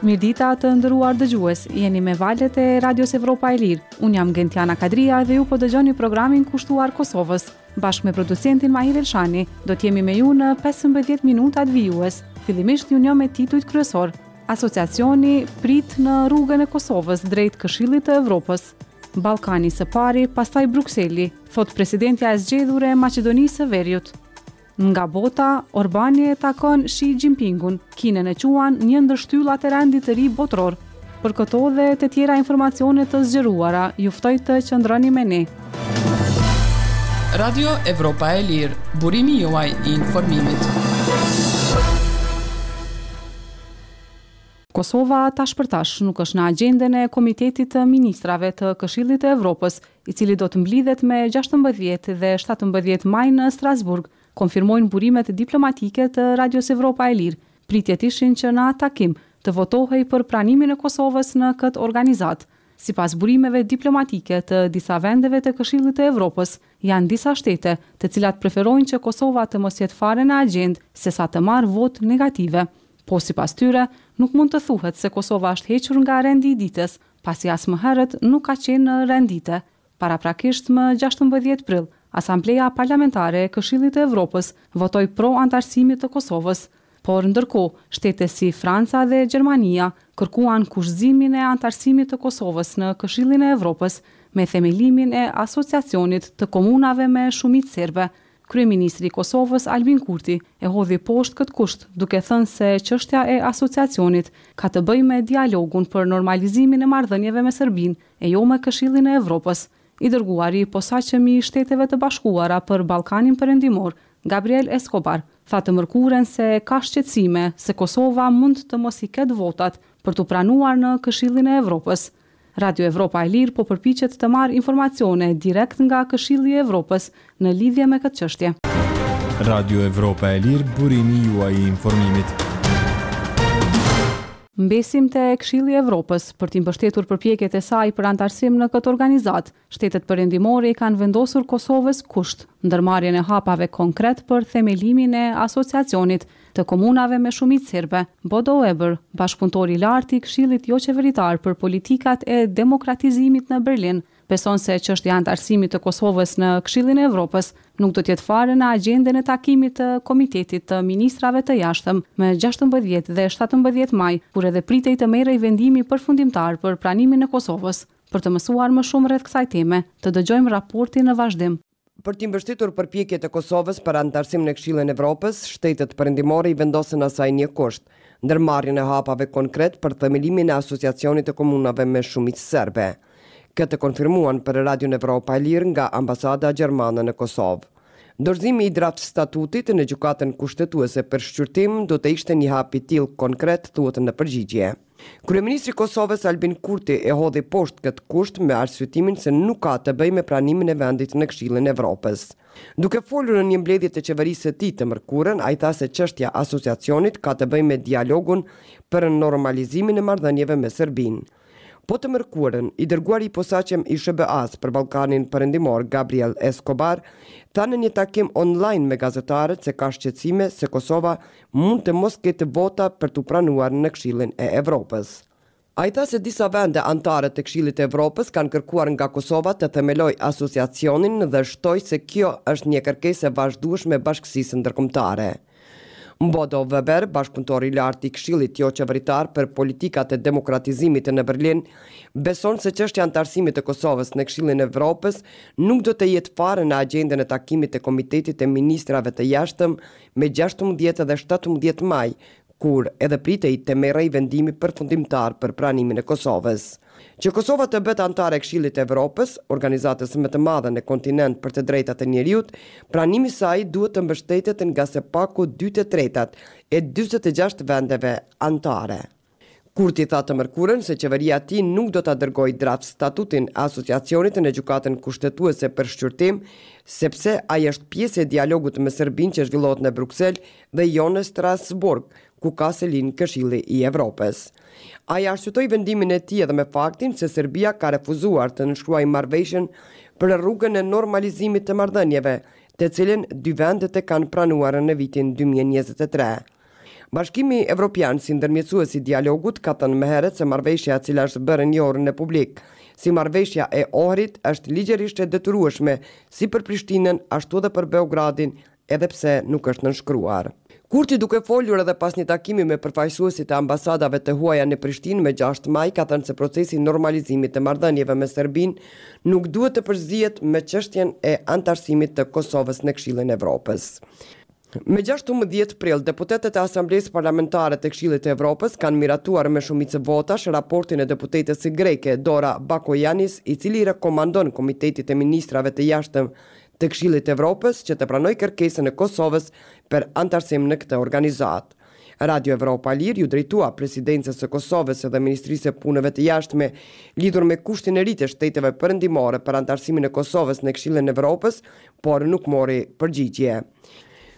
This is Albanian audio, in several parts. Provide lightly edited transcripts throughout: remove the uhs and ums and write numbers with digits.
Mirëdita të nderuar dëgjues, jeni me valët e Radios Evropa e Lirë. Unë jam Gentiana Kadria dhe ju po dëgjoni programin kushtuar Kosovës. Bashkë me producentin Mahir Elshani, do të jemi me ju në 15 minutat vijues. Fillimisht ju njoh me titujt kryesor. Asociacioni prit në rrugën e Kosovës drejt Këshillit të Evropës. Ballkani së pari, pastaj Brukseli, thotë presidentja e zgjedhur e Maqedonisë së Veriut. Nga bota, Orbani e takon Xi Jinpingun, Kinën e quan një ndër shtyllat e rendit të ri botëror. Për këto dhe të tjera informacione të zgjeruara, ju ftoj të qëndroni me ne. Radio Evropa e Lirë, burimi juaj i informimit. Kosova tash për tash nuk është në agjendën e Komitetit të Ministrave të Këshillit të Evropës, i cili do të mblidhet me 16 dhe 17 maj në Strasburg, konfirmojnë burimet diplomatike të Radios Evropa e Lirë. Pritjet ishin që në atë takim të votohej për pranimin e Kosovës në këtë organizatë. Sipas burimeve diplomatike të disa vendeve të Këshillit të Evropës, janë disa shtete, të cilat preferojnë që Kosova të mos jetë fare në agjendë, sesa të marrë votë negative. Po sipas tyre, nuk mund të thuhet se Kosova është hequr nga rendi i ditës, pasi as më herët nuk ka qenë në rend dite. Paraprakisht më 16 prill, Asambleja Parlamentare e Këshillit të Evropës votoi pro anëtarësimit të Kosovës. Por ndërkohë, shtete si Franca dhe Gjermania kërkuan kushtëzimin e anëtarësimit të Kosovës në Këshillin e Evropës me themelimin e Asociacionit të Komunave me shumicë serbe. Kryeministri i Kosovës, Albin Kurti, e hodhi poshtë këtë kusht, duke thënë se çështja e Asociacionit ka të bëjë me dialogun për normalizimin e marrëdhënieve me Serbinë e jo me Këshillin e Evropës. I dërguari i posaçëm i Shteteve të Bashkuara për Ballkanin Perëndimor, Gabriel Escobar, tha të mërkurën se ka shqetësime se Kosova mund të mos i ketë votat për t'u pranuar në Këshillin e Evropës. Radio Evropa e Lirë po përpiqet të marrë informacione direkt nga Këshilli i Evropës në lidhje me këtë çështje. Radio Evropa e Lirë, burimi juaj i informimit. Mbesim te Këshilli i Evropës për t'i mbështetur përpjekjet e saj për anëtarësim në këtë organizatë. Shtetet perëndimore i kanë vendosur Kosovës kusht ndërmarrjen e hapave konkret për themelimin e Asociacionit të komunave me shumicë serbe. Bodo Weber, bashkëpunëtor i lartë i Këshillit Joqeveritar për Politikat e Demokratizimit në Berlin, beson se çështja e anëtarësimit të Kosovës në Këshillin e Evropës nuk do të jetë fare në agjendën e takimit të Komitetit të Ministrave të Jashtëm më 16 dhe 17 maj, kur edhe pritej të merrej vendimi përfundimtar për pranimin e Kosovës. Për të mësuar më shumë rreth kësaj teme, të dëgjojmë raportin në vazhdim. Për t'i mbështetur përpjekjet e Kosovës për anëtarësim në Këshillin e Evropës, shtetet perëndimore i vendosën asaj një kusht, ndërmarrjen e hapave konkret për themelimin e Asociacionit të Komunave me shumicë serbe. Këtë e konfirmuan për Radion Evropa e Lirë nga Ambasada Gjermane në Kosovë. Dorëzimi i draft statutit në Gjykatën Kushtetuese për shqyrtim do të ishte një hap i tillë konkret, thuhet në përgjigje. Kryeministri i Kosovës, Albin Kurti, e hodhi poshtë këtë kusht me arsyetimin se nuk ka të bëjë me pranimin e vendit në Këshillin e Evropës. Duke folur në një mbledhje të qeverisë së tij të mërkurën, ai tha se çështja e Asociacionit ka të bëjë me dialogun për normalizimin e marrëdhënieve me Serbinë. Po të mërkurën, i dërguari i posaçëm i SHBA-së për Ballkanin Perëndimor, Gabriel Escobar, tha në një takim online me gazetarët se ka shqetësime se Kosova mund të mos ketë vota për t'u pranuar në Këshillin e Evropës. Ai tha se disa vende anëtare të Këshillit të Evropës kanë kërkuar nga Kosova të themelojë asociacionin dhe shtoi se kjo është një kërkesë e vazhdueshme e bashkësisë ndërkombëtare. Bodo Weber, bashkëpunëtor i lartë i Këshillit Joqeveritar për Politikat e Demokratizimit në Berlin, beson se çështja e anëtarësimit të Kosovës në Këshillin e Evropës nuk do të jetë fare në agjendën e takimit të Komitetit të Ministrave të Jashtëm me 16 dhe 17 maj, kur edhe pritej të merrej vendimi përfundimtar për pranimin e Kosovës. Që Kosova të bëhet anëtare e Këshillit të Evropës, organizatës më të madhe në kontinent për të drejtat e njeriut, pranimi i saj duhet të mbështetet nga së paku 2/3 e 46 vendeve anëtare. Kurti tha të mërkurën se qeveria e tij nuk do ta dërgojë draft statutin e asociacionit në Gjykatën Kushtetuese për shqyrtim, sepse ai është pjesë e dialogut me Serbinë që zhvillohet në Bruksel dhe jo në Strasburg, ku ka selinë Këshilli i Evropës. Ai arsyetoi vendimin e tij edhe me faktin se Serbia ka refuzuar të nënshkruajë marrëveshjen për rrugën e normalizimit të marrëdhënieve, të cilën dy vendet e kanë pranuar në vitin 2023. Bashkimi Evropian si ndërmjetësues i dialogut ka thënë më herët se marrëveshja e cila është bërë e njohur në publik si marrëveshja e Ohrit është ligjërisht e detyrueshme si për Prishtinën ashtu edhe për Beogradin edhe pse nuk është nënshkruar. Kurti duke folur edhe pas një takimi me përfaqësuesit e ambasadave të huaja në Prishtinë me 6 maj ka thënë se procesi i normalizimit të marrëdhënieve me Serbinë nuk duhet të përzihet me çështjen e anëtarësimit të Kosovës në Këshillin e Evropës. Me 16 prill, deputetët e Asamblesë Parlamentare të Këshillit të Evropës kanë miratuar me shumicë votash raportin e deputetes greke Dora Bakojanis, i cili i rekomandon Komitetit të Ministrave të Jashtëm të Këshillit të Evropës që të pranojë kërkesën e Kosovës për anëtarësim në këtë organizatë. Radio Evropa e Lirë iu drejtua Presidencës së Kosovës dhe Ministrisë së Punëve të Jashtme lidhur me kushtin e ri të shteteve perëndimore për anëtarësimin e Kosovës në Këshillin e Evropës, por nuk mori përgjigje.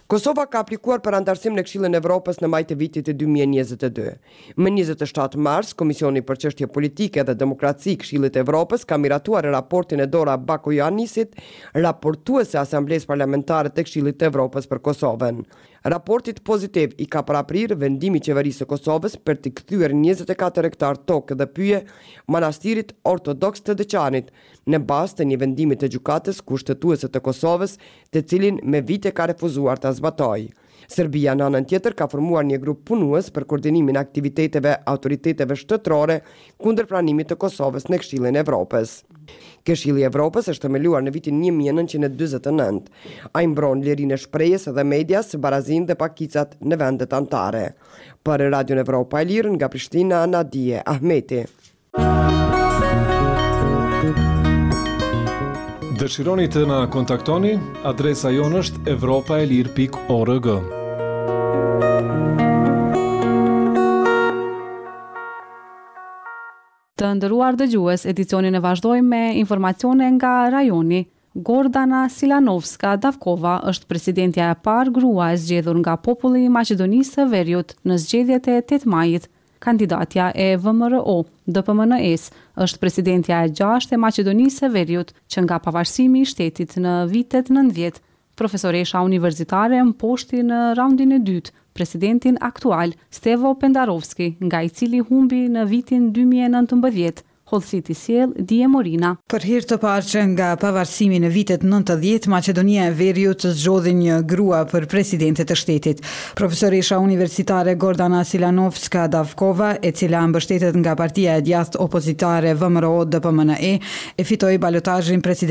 Kosova ka aplikuar për anëtarësim në Këshillin e Evropës në maj të vitit 2022. Më 27 mars, Komisioni për Çështje Politike dhe Demokraci i Këshillit të Evropës ka miratuar raportin e Dora Bakojanisit, raportuese e Asamblesë Parlamentare të Këshillit të Evropës për Kosovën. Raportit pozitiv i ka paraprirë vendimi i Qeverisë së Kosovës për t'i kthyer 24 hektar tokë dhe pyje Manastirit Ortodoks të Deçanit, në bazë të një vendimi të Gjykatës Kushtetuese të Kosovës, të cilin me vite ka refuzuar ta zbatojë. Serbia në anën tjetër ka formuar një grup punues për koordinimin e aktiviteteve autoriteteve shtetërore kundër pranimit të Kosovës në Këshillin e Evropës. Këshilli i Evropës është themeluar në vitin 1949. Ai mbron lirinë e shprehjes dhe medias, barazinë dhe pakicat në vendet anëtare. Për Radion Evropa e Lirë nga Prishtina, Nadie Ahmeti. Dëshironi të na kontaktoni? Adresa jonë është evropaelire.org. Të nderuar dëgjues, edicionin e vazhdojmë me informacione nga rajoni. Gordana Silanovska Davkova është presidentja e parë grua e zgjedhur nga populli i Maqedonisë së Veriut në zgjedhjet e 8 majit. Kandidatja e VMRO, DPMNE-së, është presidentja e gjashtë e Maqedonisë së Veriut që nga pavarësimi i shtetit në vitet 90. Profesoresha universitare mposhti në raundin e dytë presidentin aktual, Stevo Pendarovski, nga i cili humbi në vitin 2019. Hollësitë i sjell Dije Morina. Për herë të parë që nga pavarësimi në vitet 90, Maqedonia e Veriut zgjodhi një grua për presidente të shtetit. Profesoresha universitare Gordana Silanovska Davkova, e cila mbështetet nga partia e djathtë opozitare VMRO DPMNE, e fitoi balotazhin presidencial.